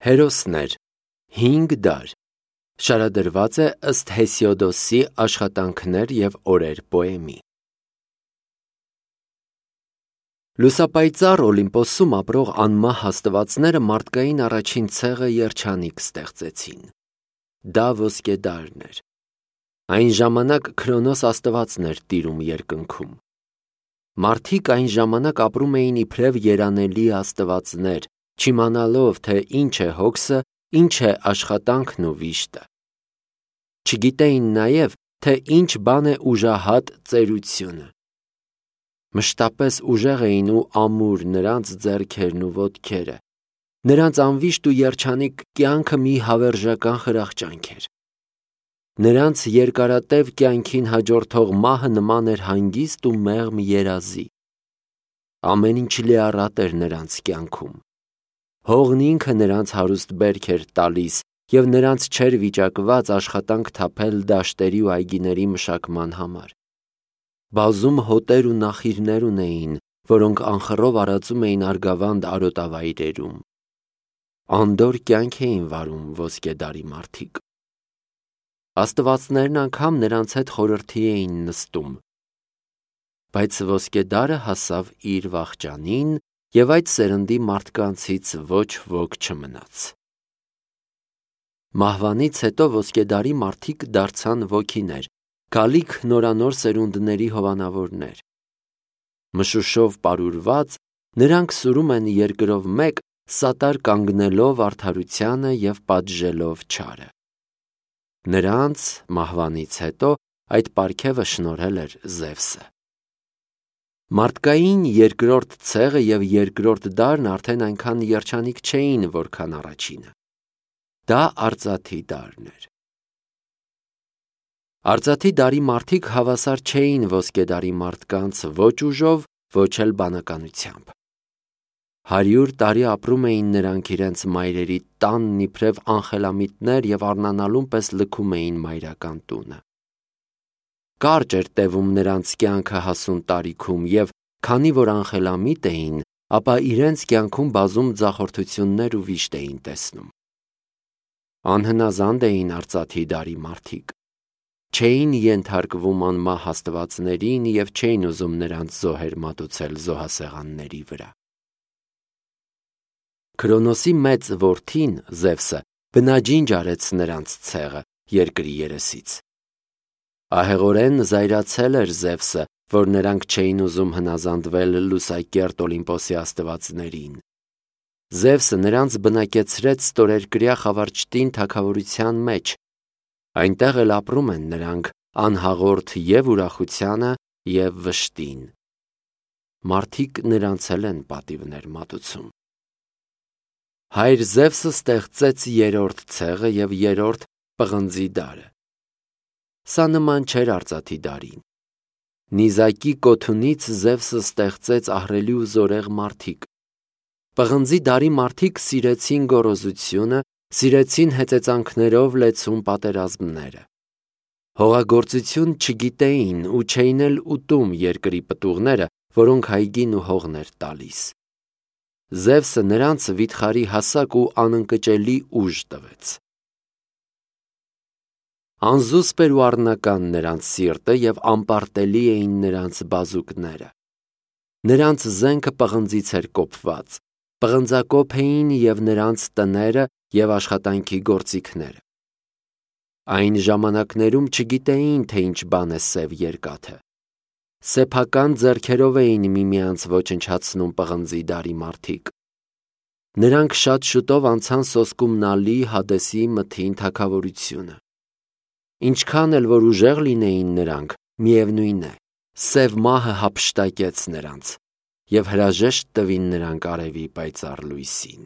Հերոսներ, 5 դար, շարադրված է ըստ Հեսիոդոսի աշխատանքներ և օրեր պոեմի։ Լուսապայծառ Օլիմպոսում ապրող անմահ աստվածները մարդկային առաջին ցեղը երջանիկ ստեղծեցին։ Դա ոսկեդարն էր։ Այն ժամանակ Քրոնոս աստվածն էր տիրում երկնքում։ Մարդիկ այն ժամանակ ապրում էին իբրև երանելի աստվածներ, չիմանալով, թե ինչ է հոգսը, ինչ է աշխատանքն ու վիշտը։ Չգիտեին նաև, թե ինչ բան է ուժահատ ծերությունը։ Մշտապես ուժեղ էին ու ամուր նրանց ձեռքերն ու ոտքերը։ Նրանց անվիշտ ու երջանիկ կյանքը մի հավերժական խրախճանք էր։ Նրանց երկարատև կյանքին հաջորդող մահը նման էր հանգիստ ու մեղմ երազի։ Ամեն ինչ լիառատ էր նրանց կյանքում։ Հողն ինքը նրանց հարուստ բերք էր տալիս, և նրանց չէր վիճակված աշխատանք թափել դաշտերի ու այգիների մշակման համար։ Բազում հոտեր ու նախիրներ ունեին, որոնք անխռով արածում էին արգավանդ արոտավայրերում։ Անդորր կյանք էին վարում ոսկեդարի մարդիկ։ Աստվածներն անգամ նրանց հետ խորհրդի էին նստում։ Բայց ոսկեդարը հասավ իր վախճանին, և այդ սերնդի մարդկանցից ոչ ոք չմնաց։ Մահվանից հետո ոսկեդարի մարդիկ դարձան ոգիներ, գալիք նորանոր սերունդների հովանավորներ։ Մշուշով պարուրված, նրանք սուրում են երկրով մեկ, սատար կանգնելով արդարությանը և պատժելով չարը։ Նրանց մահվանից հետո այդ պարգևը շնորհել էր Զևսը։ Մարդկային երկրորդ ցեղը և երկրորդ դարն արդեն այնքան երջանիկ չէին, որքան առաջինը։ Դա արծաթի դարն էր։ Արծաթի դարի մարդիկ հավասար չէին ոսկեդարի մարդկանց ոչ ուժով, ոչ էլ բանականությամբ։ 100 տարի ապրում էին նրանք իրենց մայրերի տանն իբրև անխելամիտներ և առնանալուն պես լքում էին մայրական տունը։ Կարճ էր տևում նրանց կյանքը հասուն տարիքում, և քանի որ անխելամիտ էին, ապա իրենց կյանքում բազում ձախորդություններ ու վիշտ էին տեսնում։ Անհնազանդ էին արծաթի դարի մարդիկ։ Չէին ենթարկվում անմահ աստվածներին և չէին ուզում նրանց զոհեր մատուցել զոհասեղանների վրա։ Քրոնոսի մեծ որդին Զևսը բնաջինջ արեց նրանց ցեղը երկրի երեսից։ Ահեղորեն զայրացել էր Զևսը, որ նրանք չէին ուզում հնազանդվել լուսակերտ Օլիմպոսի աստվածներին։ Զևսը նրանց բնակեցրեց ստորերկրյա Խավարճտին թագավորության մեջ։ Այնտեղ էլ ապրում են նրանք անհաղորդ և ուրախությանը, և վշտին։ Մարդիկ նրանց էլ են պատիվներ մատուցում։ Հայր Զևսը ստեղծեց երրորդ ցեղը և երրորդ պղնձի դարը։ Սա նման չէր արծաթի դարին։ Նիզակի կոթունից Զևսը ստեղծեց ահռելի ու զորեղ մարդիկ։ Պղնձի դարի մարդիկ սիրեցին գոռոզությունը, սիրեցին հեծեծանքներով լեցուն պատերազմները։ Հողագործություն չգիտեին ու չէին էլ ուտում երկրի պտուղները, որոնք այգին ու հողն էր տալիս։ Զևսը նրանց վիթխարի հասակ ու անընկճելի ուժ տվեց։ Անզուսպ էր ու առնական նրանց սիրտը և անպարտելի էին նրանց բազուկները։ Նրանց զենքը պղնձից էր կոփված, պղնձակոփ էին և նրանց տները և աշխատանքի գործիքները։ Այն ժամանակներում չգիտեին, թե ինչ բան է սև երկաթը։ Սեփական ձեռքերով էին միմյանց ոչնչացնում պղնձի դարի մարդիկ։ Նրանք շատ շուտով անցան սոսկումնալի Հադեսի մթին թագավորությունը։ Ինչքան էլ որ ուժեղ լինեին նրանք, միևնույն է, սև մահը հափշտակեց նրանց, և հրաժեշտ տվին նրանք արևի պայծառ լույսին։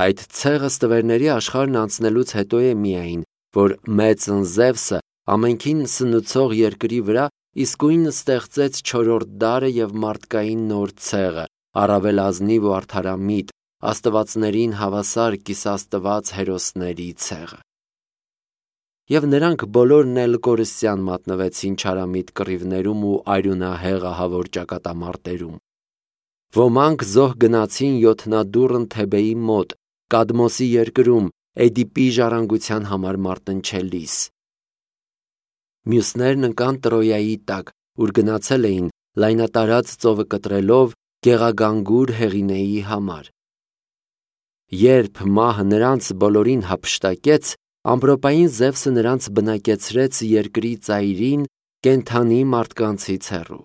Այդ ցեղը ստվերների աշխարհն անցնելուց հետո է միայն, որ մեծն Զևսը ամենքին սնուցող երկրի վրա իսկույն ստեղծեց չորրորդ դարը և մարդկային նոր ցեղը, առավել ազնիվ ու արդարամիտ, աստվածներին հավասար կիսաստված հերոսների ցեղը։ Եվ նրանք բոլորն էլ կորստյան մատնվեցին չարամիտ կռիվներում ու արյունահեղ ահավոր ճակատամարտերում։ Ոմանք զոհ գնացին յոթնադուռն Թեբեի մոտ, Կադմոսի երկրում Էդիպի ժառանգության համար մարտնչելիս։ Մյուսներն ընկան Տրոյայի տակ, ուր գնացել էին լայնատարած ծովը կտրելով Գեղագանգուր Հեղինեի համար։ Երբ մահը նրանց բոլորին հափշտակեց, ամպրոպային Զևսը նրանց բնակեցրեց երկրի ծայրին կենդանի մարդկանցից հեռու։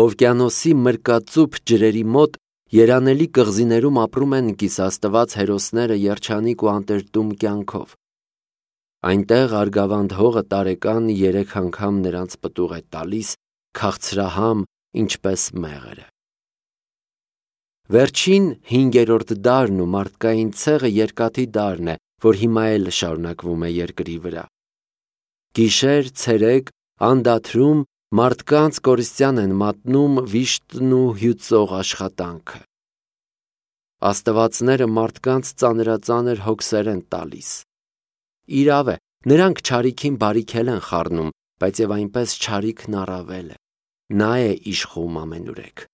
Օվկիանոսի մրկածուփ ջրերի մոտ երանելի կղզիներում ապրում են կիսաստված հերոսները երջանիկ ու անտերտում կյանքով։ Այնտեղ Արգավանդ հողը տարեկան 3 անգամ նրանց պտուղ է տալիս, քաղցրահամ, ինչպես մեղրը։ Վերջին 5-րդ դարն ու մարդկային ցեղը երկաթի դարն է, որ հիմա էլ շարունակվում է երկրի վրա։ Գիշեր, ցերեկ, անդադրում մարդկանց կորստյան են մատնում վիշտն ու հյուծող աշխատանքը։ Աստվածները մարդկանց ծանրածանր հոգսեր են տալիս։ Իրավ է, նրանք չարիքին բարիքել են խառնում, բայց եւ այնպես չարիքն առավել է։ Նա է իշխում ամենուրեք։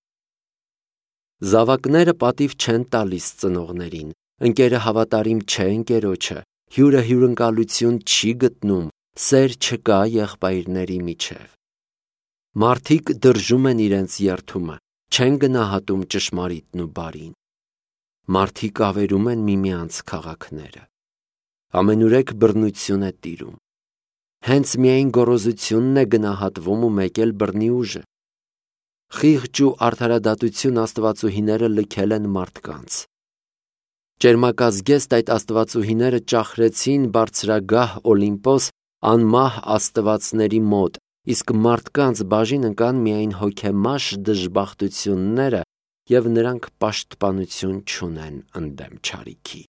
Զավակները պատիվ չեն տալիս ծնողներին, ընկերը հավատարիմ չէ ընկերոջը, հյուրը հյուրընկալություն չի գտնում, սեր չկա եղբայրների միջև։ Մարդիկ դրժում են իրենց երդումը, չեն գնահատում ճշմարիտն ու բարին։ Մարդիկ ավերում են միմյանց քաղաքները։ Ամենուրեք բռնություն է տիրում։ Հենց միայն գոռոզությունն է գնահատվում ու մեկ էլ բռնի ուժը։ Խիղճ ու արդարադատություն աստվածուհիները լքել են մարդկանց։ Ճերմակազգեստ այդ աստվածուհիները ճախրեցին բարձրագահ Օլիմպոս անմահ աստվածների մոտ, իսկ մարդկանց բաժին ընկան միայն հոգեմաշ դժբախտությունները, և նրանք պաշտպանություն չունեն ընդդեմ չարիքի։